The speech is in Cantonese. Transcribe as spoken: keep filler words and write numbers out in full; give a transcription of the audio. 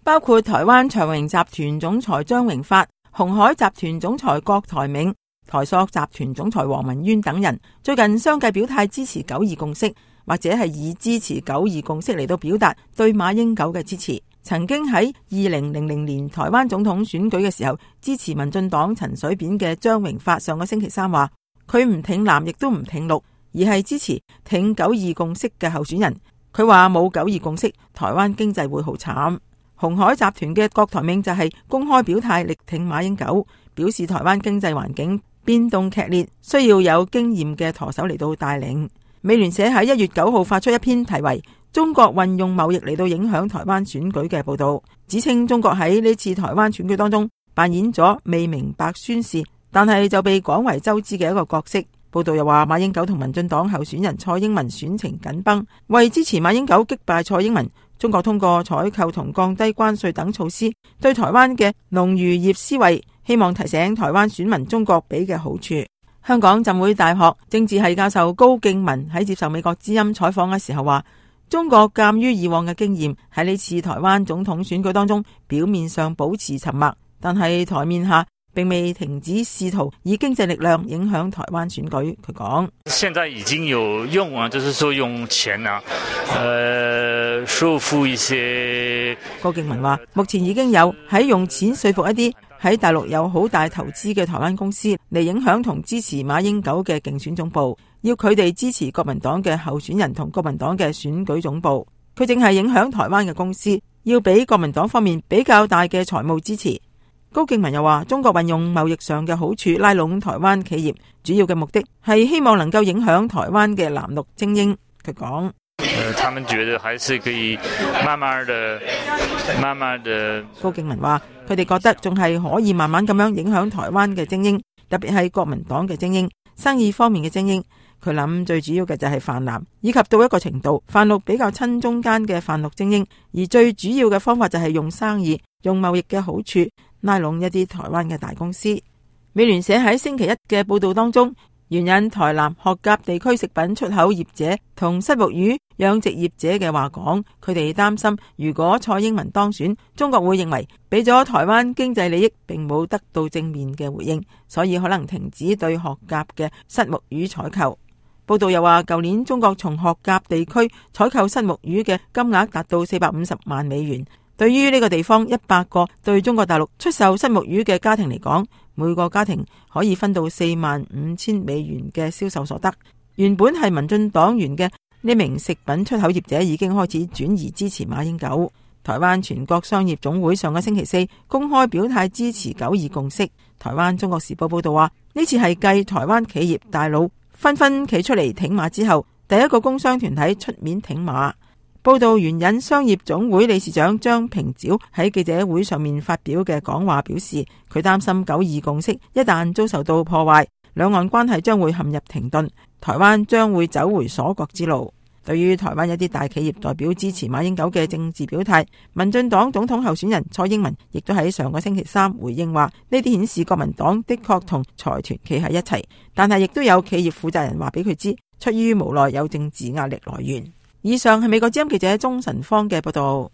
包括台灣長榮集團總裁張榮發、鴻海集團總裁郭台銘、台塑集團總裁黃文淵等人，最近相繼表態支持九二共識，或者係以支持九二共識嚟到表達對馬英九嘅支持。曾經喺二零零零年台灣總統選舉嘅時候支持民進黨陳水扁嘅張榮發，上個星期三話佢唔挺藍亦都唔挺綠，而係支持挺九二共識嘅候選人。佢話冇九二共識，台灣經濟會好慘。鴻海集團嘅郭台銘就係公開表態力挺馬英九，表示台灣經濟環境變動劇烈，需要有經驗嘅舵手嚟到帶領。美聯社喺一月九號發出一篇題為中國運用貿易嚟到影響台灣選舉嘅報道，指稱中國喺呢次台灣選舉當中扮演咗未明白宣示，但係就被廣為周知嘅一個角色。報道又話馬英九同民進黨候選人蔡英文選情緊繃，為支持馬英九擊敗蔡英文，中國通過採購同降低關稅等措施，對台灣嘅農漁業施惠，希望提醒台灣選民中國俾嘅好處。香港浸會大學政治系教授高敬文喺接受美國之音採訪嘅時候話，中國鑒於以往嘅經驗，喺呢次台灣總統選舉當中，表面上保持沉默，但係台面下並未停止試圖以經濟力量影響台灣選舉。佢講：現在已經有用啊，就是說用錢啊，呃，說服一些。高敬文話，目前已經有喺用錢說服一啲喺大陸有好大投資嘅台灣公司嚟影響同支持馬英九嘅競選總部，要佢哋支持國民黨嘅候選人同國民黨嘅選舉總部。佢淨係影響台灣嘅公司，要俾國民黨方面比較大嘅財務支持。高敬文又話，中國運用貿易上嘅好處拉攏台灣企業，主要嘅目的係希望能夠影響台灣嘅藍綠精英。佢講：呃，他們覺得還是可以慢慢的、慢慢的。高敬文話，佢哋覺得仲係可以慢慢咁樣影響台灣嘅精英，特別係國民黨嘅精英、生意方面嘅精英。佢諗最主要嘅就係泛藍，以及到一個程度泛綠比較親中間嘅泛綠精英，而最主要嘅方法就係用生意、用貿易嘅好處拉攏一啲台灣嘅大公司。美聯社喺星期一嘅報道當中，援引台南學甲地區食品出口業者同虱目魚養殖業者嘅話講，佢哋擔心如果蔡英文當選，中國會認為俾咗台灣經濟利益並冇得到正面嘅回應，所以可能停止對學甲嘅虱目魚採購。報道又話，舊年中國從學甲地區採購虱目魚嘅金額達到四百五十萬美元。對於呢個地方一百個對中國大陸出售虱目魚嘅家庭嚟講，每個家庭可以分到四萬五千美元嘅銷售所得。原本係民進黨員嘅呢名食品出口業者已經開始轉移支持馬英九。台灣全國商業總會上個星期四公開表態支持九二共識。台灣中國時報報道話，呢次係繼台灣企業大佬紛紛企出嚟挺馬之後，第一個工商團體出面挺馬。報道援引商業總會理事長張平沼喺記者會上面發表嘅講話，表示佢擔心九二共識一旦遭受到破壞，兩岸關係將會陷入停頓，台灣將會走回鎖國之路。對於台灣一啲大企業代表支持馬英九嘅政治表態，民進黨總統候選人蔡英文亦都喺上個星期三回應話，呢啲顯示國民黨的確同財團企喺一齊，但係亦都有企業負責人話俾佢知，出於無奈有政治壓力來源。以上係美國之音記者鍾晨芳嘅報道。